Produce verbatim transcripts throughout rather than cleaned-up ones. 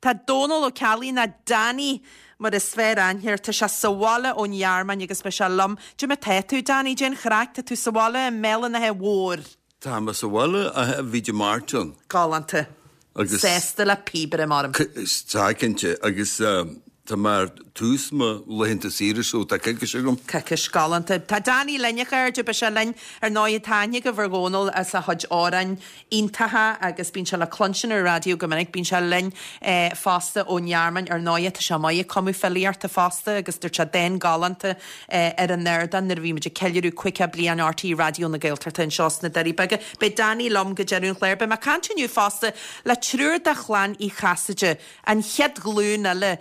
Tá Dónal Ó Ceallaigh nó Danny mar is fearr aithne air. Tá sé sa bhaile ón Ghearmáin agus beidh sé liom. Cad é mar tá tú, Danny, cén chraic, tá tú sa bhaile i mBéal an Átha Mhóir. Tá mé sa bhaile a bhí de Martin. Galánta. Agus Sásta le píobaire mar. Tá cinnte agus tá mar tús mo laethanta saoire so tá coicís agam. Coicís galánta. Tá Danny linn a chairde beidh sé linn ar ndóigh tá aithne agaibh ar Dhónal as a chuid amhráin iontacha agus bíonn sé le cluinstin ar raidió go minic, bíonn sé linn eh, fosta ón Ghearmáin ar ndóigh tá sé maith ag cumadh filíochta fosta agus dúirt sé dán galánta eh, ar an ardán nuair a bhí muid ag ceiliúradh caoga bliain RTÉ Raidió na Gaeltachta anseo sna Doirí Beaga. Beidh Danny liom go deireadh an chláir, beidh mé ag caint inniu fosta le triúr de chlann Uí Chasaide, an chéad ghlúin eile.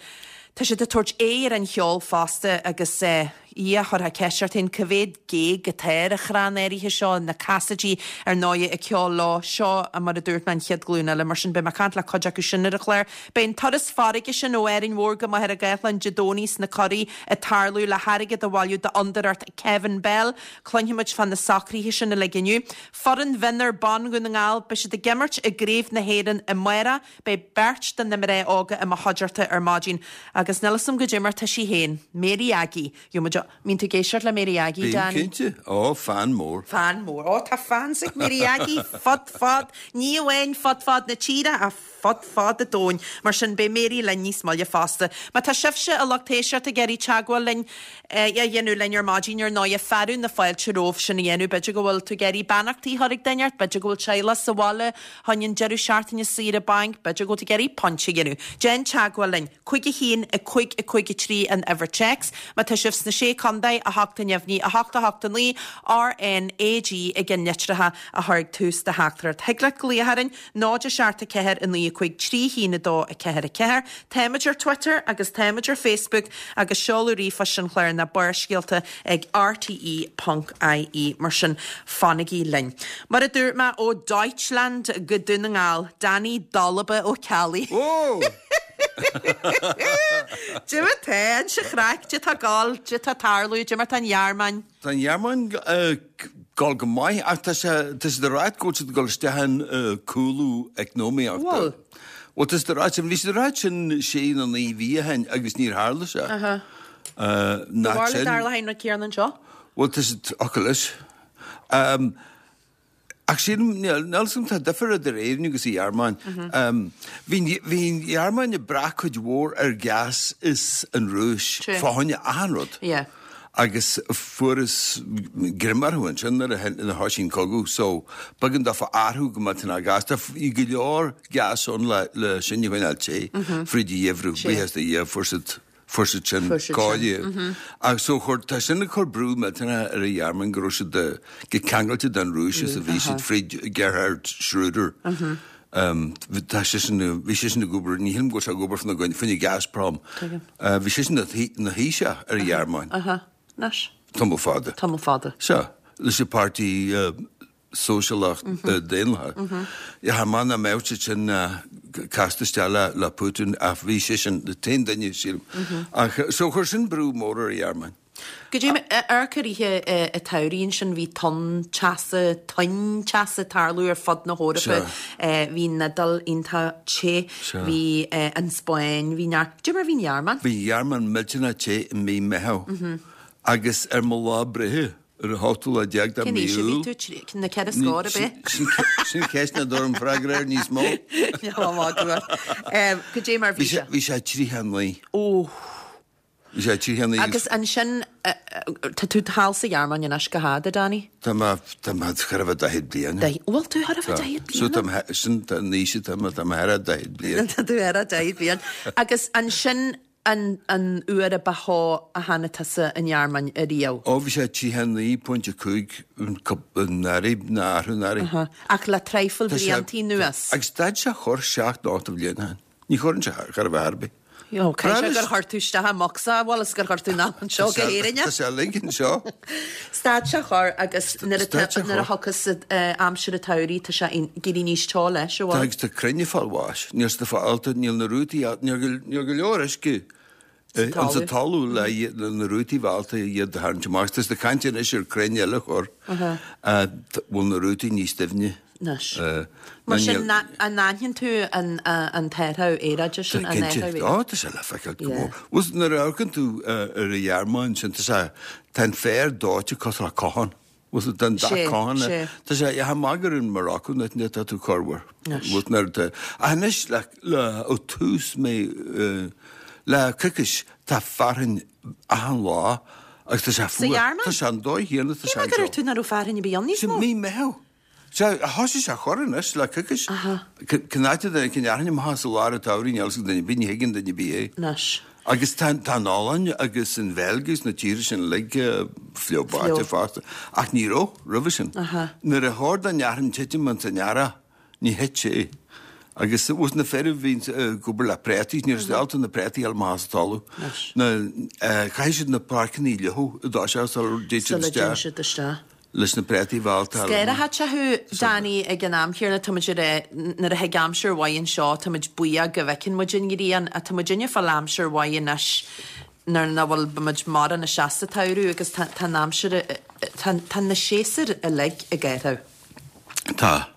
Tá siad ag tabhairt aghaidh ar an cheol fosta agus eh, í a churtha ceist ort féin cá mhéad géag atá ar an chrann áirithe seo na Cassidy ar ndóigh ag ceol leo seo mar a dúirt mé an chéad ghlúin eile mar sin beidh mé ag caint le cuid acu sin ar an chlár. Beidh an turas farraige sin ó Árainn Mhór go Machaire Gathlán Dé Domhnaigh sna curaí ag tarlú le hairgead a bhailiú d'fhondúireacht Kevin Bell, Cluinfimid fá na socruithe sin uilig inniu. Foireann mhionúir ban Dhún na nGall, beidh siad ag imirt i gCraobh na hÉireann amárach, beidh beirt de na mná óga i mo chuideachta ar maidin agus níl 'fhios a'm goidé mar tá sí féin, Mary Aggie. Gheobhaidh muid mbíonn tú ag éisteacht le Mary Aggie, Bím Danny? cinnte, ó fan mór. Fan mór. Ó tá fans ag Mary Aggie fud fad ní amháin fud fad na tíre ach fud fad an domhain. Mar sin beidh Mary linn níos moille fosta. Má tá sibhse a lucht éisteachta ag iarraidh teagmháil linn eh, a dhéanamh linn ar maidin ar ndóigh fearadh na fáilte romhaibh sin a dhéanamh, b'fhéidir go bhfuil tú ag iarraidh beannachtaí a chur ag duine ort, b'fhéidir go bhfuil teaghlach sa bhaile chun an deireadh seachtaine saoire bainc, b'fhéidir go bhfuil tú ag iarraidh pointe a dhéanamh. Déan teagmháil linn, cúig a haon a cúig a cúig a trí an uimhir téacs, má tá sibh sna sé chontae a hocht a neamhní a hocht a hocht a naoi RNAG ag an litreacha a chur ag tús do theachtaireacht. Thig leat glaoch orainn náid a seacht a ceathair a naoi a cúig trí haon a dó a ceathair a ceathair. Táimid ar Twitter agus táimid ar Facebook agus seoladh ríomhphoist an chláir ná Barrscéalta ag RTE.ie mar sin fanaigí linn. Mar a dúirt mé ó Deutschland go Dún na nGall, Danny Dolba Ó Ceallaigh. Ó! Dé tá an se chraic, Dé tá gáil, Dé tá tarlú, Dé mar tá an Ghearmáin. Tá an Ghearmáin ag gabháil go maith ach tá sé tá sé á rá go bhfuil siad ag dul isteach in cúlú eacnamaíochta. Bhfuil? Well tá sé á rá sin bhí sé á rá sin sé nó naoi mhí ó shin agus níor tharla sé. Ná sin. Dar le na céarna seo? Well tá sé ocalis. Um, Ach sin níl tá difear idir Éirinn agus an Ghearmáin. Bhí bhí an Ghearmáin ag brath cuid mhór ar gas is an Rúis fá choinne achan rud. Yeah. Agus fuarthas greim orthu ansin nuair a thosaigh an cogadh, so b'éigean daofa athrú go mbeadh na gas. Tá go leor gas ann le le sin a choinneáil te fríd an gheimhreadh, buíochas do Dhia fuair siad fuair siad sin cáilithe. Ach so chuir tá sin ag cur brú millteanach ar an Ghearmáin go raibh siad go ceangailte den Rúis is a bhí siad fríd Gerhard Schröder. Um, tá sé sin bhí sé sin ag obair ní hin go sé ag obair fan faoin Gazprom. Uh, bhí sé sin na Thaoiseach ar an Ghearmáin. Aha, Nas. Tamall fada. Tamall fada. So, leis an páirtí uh, sóisialach mm -hmm. uh, daonlathach. Mm -hmm. Ja, man a mbeadh sin uh, casta isteach le le Putin ach bhí sé sin an t-aon duine sílim. Ach so chuir sin brú mór ar an Ghearmáin. Go dtí ar chuirithe a taíonn sin bhí tonn teasa toinn teasa ag tarlú ar fud na hEorpa bhí an Iodáil iontach te bhí an Spáinn bhí neart Dé mar bhí an Ghearmáin? Bhí Ghearmáin millteanach te i mí Meitheamh agus ar mo lá breithe ar an ochtú lá déag de Cén mí aois a bhí Iúil. tú trí na ceithre scór ab é? Sin ceist nach dtabharfainn freagra air níos mó. Go dé mar Bhí bhí sé sé? bhí sé tríocha naoi. Ó Bhí sé tríocha naoi Agus ansin tá tú thall sa Ghearmáin anois go fada, Danny? Tá mé tá mé chóir a bheith daichead bliain. Bhfuil tú thar a bheith daichead So bliain? tá sin tá naoise tá mé tá mé thar a daichead bliain. Tá tú ar a daichead bliain. Agus ansin an an uair a ba theo a tháinig tusa an Ghearmáin ariamh. Ó bhí sé tríocha naoi pointe cúig an earraigh na athrú an earraigh. Ach le traidhfil bliantaí anuas. Agus stad sé chor seacht ocht bhliain ann. Ní chuireann sé char a bheith ar bith. Jo, caithfidh sé gur chuir tú isteach i mbocsa, bhfuil is gur chuir tú ná anseo go hÉirinn. Tá sé uilig anseo. Stad sé chor agus nuair a Stad sé nuair a chor. thiocfas aimsir an tsamhraidh tá sé ag éirí níos teo leis, Tá bhfuil? agus tá crainn ag fáil bháis. Níl siad ag fáil níl na rútaí níl go níl go leor uisce Sa an sa talamh. talamh le le na rútaí bhálta iad a tharraingt amach. Tá siad ag caint anois ar crainn eile a chur. Bhfuil na rútaí níos doimhne. Anois. Eh, Mar ná sin, níl- na- an aithníonn tú an an t-athrú aeráide sin, an Cinnte. athrú Ó, tá sé le feiceáil go Yeah. mór. Bhuel, nuair a amharcann tú eh, ar an Ghearmáin sin, tá sé tá an féar dóite cosúil le cochán. Bhuel, tá an dath Sé, cochán. sé. Tá sé yeah, maith gur in Morocco na tá tú cormhar. Anois. Bhuel, nuair tá- Ach anois le le ó tús mé eh, le coicís tá fearthainn achan lá agus tá sé fuar. Ghearmáin? Tá sé an dóigh chéanna, tá sé Cé mar anseo. tú nach raibh fearthainn ar bith ann níos Sin mó? mí Meitheamh. Sé thosaigh sé chor anois le coicís. Aha. Cén áit a cin fhearthainn amach sa lár an tsamhraidh, níl 's ag duine ar bith, ní thuigeann duine ar bith é. Anois. Agus tá tá an Ollainn agus an Bheilg agus na tíortha sin uilig fliuch báite Fliuch. fosta. Ach ní raibh roimhe sin. Aha. Nuair a chóir don fhearthainn titim an san earrach, ní thit sé. Agus bhus na fir a bhí ag obair le préataí, ní raibh ábalta na préataí a fháil amach as an talamh. Anois. Na chaithfidh siad na páirceanna a fhliuchadh i dtosach sula dtéid siad Sula dtéann isteach siad isteach. leis na préataí bhálta. Scair te thú Danny ag an am chéanna tá muid ar nuair a thig aimsir mhaith anseo tá muid buíoch go bhfeiceann muid an ghrian a tá muid inne fáil aimsir mhaith anois nuair nach bhfuil muid mar na seasta tsamhradh agus tá tá an aimsir tá tá na séasúir uilig ag athrú. Tá.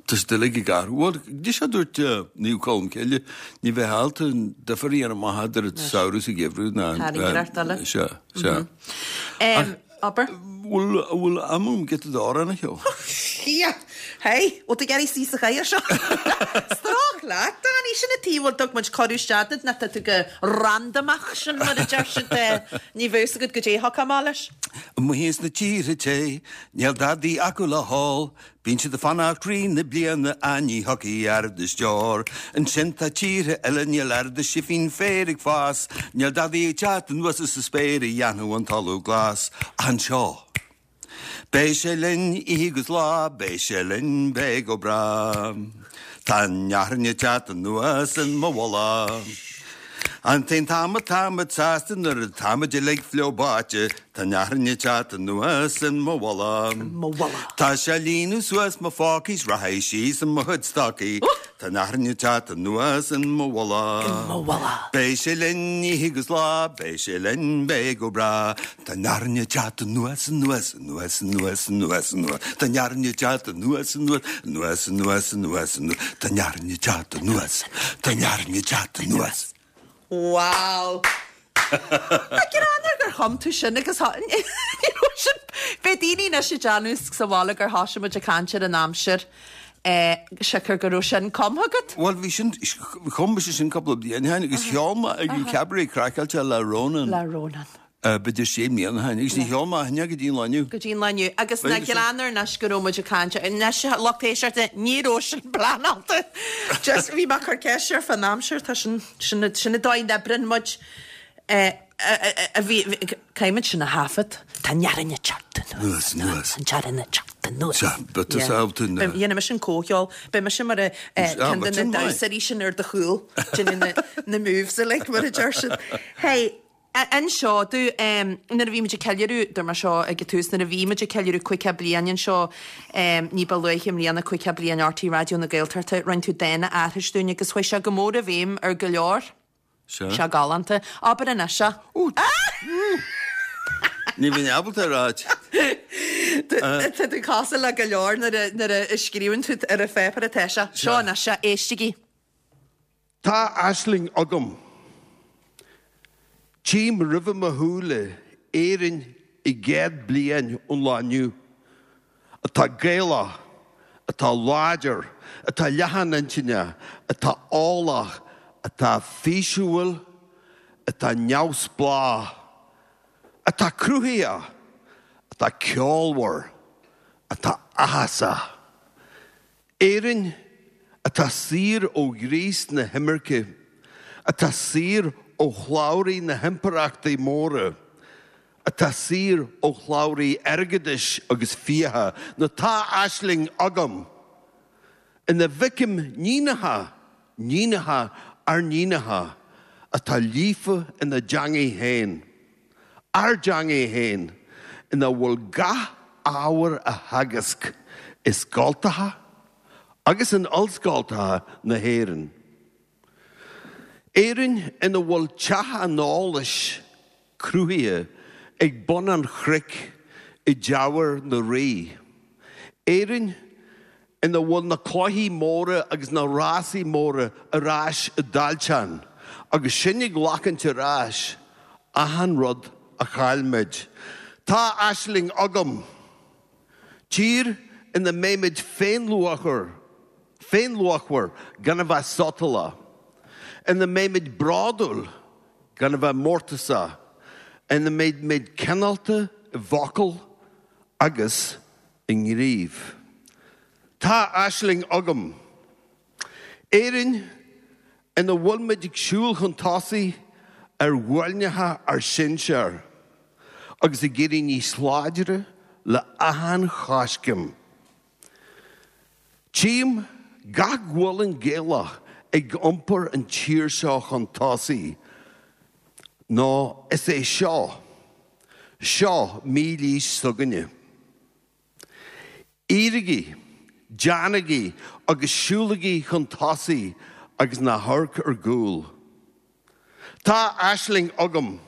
Tá siad uilig ag athrú. Bhuel, dí se dúirt Naomh Colm Cille, ní bheith ábalta an difear a dhéanamh amach idir an samhradh is an geimhreadh ná. Tairngreacht eile. Sea, sea. Um, Abair? Bhfuil bhfuil am agam giota d'amhrán a cheol? Yeah. Hey, bhfuil tú ag iarraidh suí sa chathaoir seo? Strách leat, Danny, sin a tí bhfuil dug muid cuireadh isteach na tá tú go randomach sin mar a deir siad eh, ní bheadh agat go dté amach leis. Amuigh sna tíortha te, níl dadaí acu le hól, bíonn siad ag fanacht trí na bliana a ní thiocfaidh aird is deor. Ansin tá tíortha eile níl oiread is sifín féir ag fás, níl dadaí ag teacht anuas as an spéir a dhéanfadh an talamh glas. Anseo. Beidh sé linn oíche agus lá, beidh sé linn beidh go breá. Tá an fhearthainn ag teacht anuas in mo mhullach. An t-aon t-am atáimid sásta nuair atáimid uilig fliuch báite, Tá an fhearthainn ag teacht anuas in mo mhullach. Mo mhullach. Tá sé ag líonadh suas mo phócaí 's rachaidh síos i mo chuid stocaí, Tá an fhearthainn ag teacht anuas in mo mhullach. Mo mhullach. Beidh sé linn oíche agus lá, beidh sé linn beidh go breá. Tá an fhearthainn ag teacht anuas anuas anuas anuas anuas anuas. Tá an fhearthainn ag teacht anuas anuas anuas anuas anuas anuas. Tá an fhearthainn ag teacht anuas. Tá an fhearthainn ag teacht anuas. Wow. Tá greannmhar gur chum tú sin agus sin Beidh daoine anois ag déanamh sa bhaile gur thosaigh muid ag caint ar an aimsir eh, siocair go raibh sin cumtha agat. Well bhí sin chum mise sin cúpla bliain ó shin agus cheol mé ag an Cabaret Craiceáilte le Ronan. Le Ronan. B'fhéidir sé mbliana ó shin agus ní cheol mé hinne go dtí an lá inniu. Go dtí an lá inniu agus na B'fhéidir sin. greannmhar anois go raibh muid ag caint anois lucht éisteachta ní raibh sin pleanáilte. Just bhí mé chur ceist ar fan aimsir tá sin sin sin an dóigh a n-oibríonn muid eh, a bhí caithfimid sin a thaifead Tá an fhearthainn ag teacht Anuas, anuas. An fhearthainn ag teacht anuas. Sea, but tá sábhta na- Dhéanfaidh mise an comhcheol, beidh mise mar a Ah, ceann de but na sin maith. damhsóirí sin ar do chúl déanamh na na moves uilig mar a deir siad. Hey, anseo dú um, nuair a bhí muid ag ceiliúradh dúirt mé seo ag an tús nuair a bhí muid ag ceiliúradh caoga bliain anseo um, ní ba luaithe i mbliana caoga bliain RTÉ Raidió na Gaeltachta rinne tú dán a aithris dúinn agus chuaigh sé go mór i bhfeidhm ar go leor Sea. sé galánta. Abair anois se. Ní bhíonn ábalta ráit. Tá tú cosúil le go leor nuair a- nuair a scríobhann tú ar an pháipéar atá sé. Seo anois se éistigí. Tá aisling agam. Tchím roimh mo shúile Éirinn i gcéad bliain ón lá inniu. Atá Gaelach, atá láidir, atá leathan intinne, atá eolach, atá físiúil, atá neamhspleách, atá cruthaitheach, atá ceolmhar, atá áthasach. Éirinn atá saor ó ghríos na himirce, atá saor ó shlabhraí na himpireachtaí móra, atá saor ó shlabhraí airgeadais agus fiacha, nó tá aisling agam. Ina bhfeicim níonacha, níonacha ár níonacha, atá líofa ina dteangaidh féin. Ár dteangaidh féin, ina bhfuil gach ábhar á theagasc i scoltacha agus in ollscoltacha na hÉireann. Éirinn ina bhfuil teach an eolais cruthaithe ag bun an chnoic i dTeamhair na Rí. Éirinn ina bhfuil na cluichí móra agus na rásaí móra ar ais i dTailtean, agus sinn ag glacaint ar ais achan rud a chaill muid. Tá aisling agam. Tír ina mbeimid féinluachmhar, féinluachmhar gan a bheith sotalach, ina mbeimid bródúil gan a bheith mórtasach, ina mbeimid cineálta i bhfocal agus i ngníomh. Tá aisling agam. Éirinn ina bhfuilmid ag siúl chun tosaigh ar ghuailneacha ár sinsear agus ag éirí níos láidre le achan choiscéim. Tchím gach gualainn Gaelach ag iompar an tír seo chun tosaigh, nó is é seo, seo mílaois s'againne. Éirígí, déanaigí agus siúlaigí chun tosaigh agus ná hamharc ar gcúl. Tá aisling agam.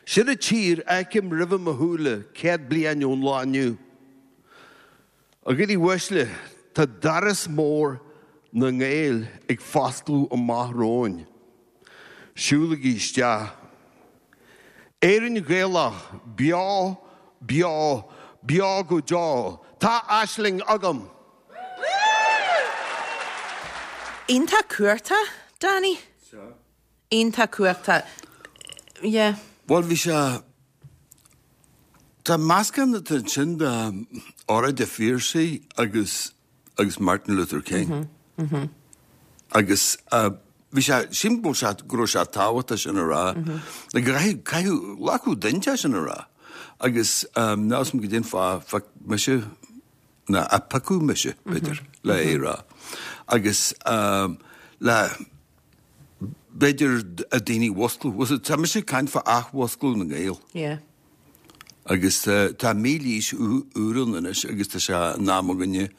Sin an tír a fheicim roimhe mo shúile céad bliain ón lá inniu. A dhaoine uaisle, tá doras mór na nGael ag foscladh amach romhainn. Siúlaigí isteach. Éirinn Ghaelach, beo, beo, beo go deo. Tá aisling agam! Iontach cumhachtach, Danny. Iontach cumhachtach. Yeah. Bhuel, bhí sé, tá meascán atá ansin de óráid an Phiarsaigh agus agus Martin Luther King. Agus bhí sé, sílim go bhfuil sé, go raibh sé tábhachtach sin a rá. Like, caithfidh, caithfidh, glacadh duine sin a rá. Agus níl a fhios agam goidé an fáth, phioc mise, ná a piocadh mise, b'fhéidir, le é a rá. Agus le, b'fhéidir a daoine a mhusclú. Tá mise ag caint fá athmhusclú na nGael. Yeah. Agus tá mílaois úr ann anois agus tá sé in am againne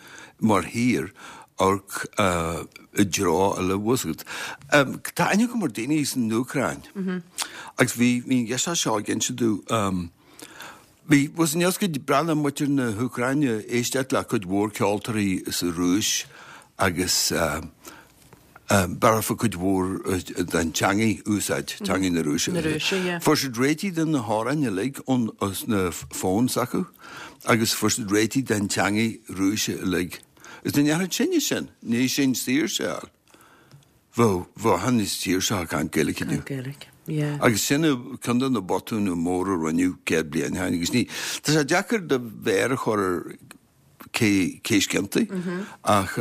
mar thír amharc i dtreo eile, bhfuil a fhios agat. Tá aithne agam ar daoine san Úcráin agus bhí bhí an ghirseach seo ag inse domh bhí bhfuil a fhios agat breathnaigh muintir na hÚcráine éisteacht le cuid mhór ceoltóirí sa Rúis agus B'fhearr cuid mhór den teangaidh a úsáid, teangaidh na Rúise. Na Rúise, yeah. Fuair siad réitigh de na hamhráin uilig ón os na phones acu agus fuair siad réitigh den teangaidh Rúise uilig. Agus dá ndéarfadh sinne sin, ní sin saoirse a fháil. Bheadh, bheadh achan duine sa tír seo ag caint Gaeilge inniu. Caint Gaeilge, yeah. Agus sin ceann de na botúin móra a rinneadh céad bliain ó shin agus ní, tá sé deacair do mhéar a chur ar cé, cé is ciontaí ach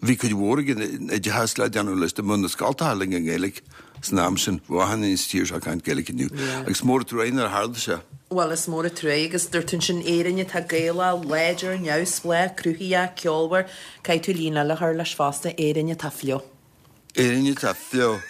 Bhí cuid mhór ag an oideachas le déanamh leis dá mbeadh na scoltacha uilig i nGaeilge san am sin. Bheadh achan duine sa tír seo ag caint Gaeilge inniu. Agus is mór an trua nár tharla sé. Bhuel, is mór an trua agus dúirt tú ansin Éirinn atá Gaelach, láidir, neamhspleách, cruthaitheach, ceolmhar. Caithfidh tú líne eile a chur leis fosta, Éirinn atá fliuch. Éirinn atá fliuch.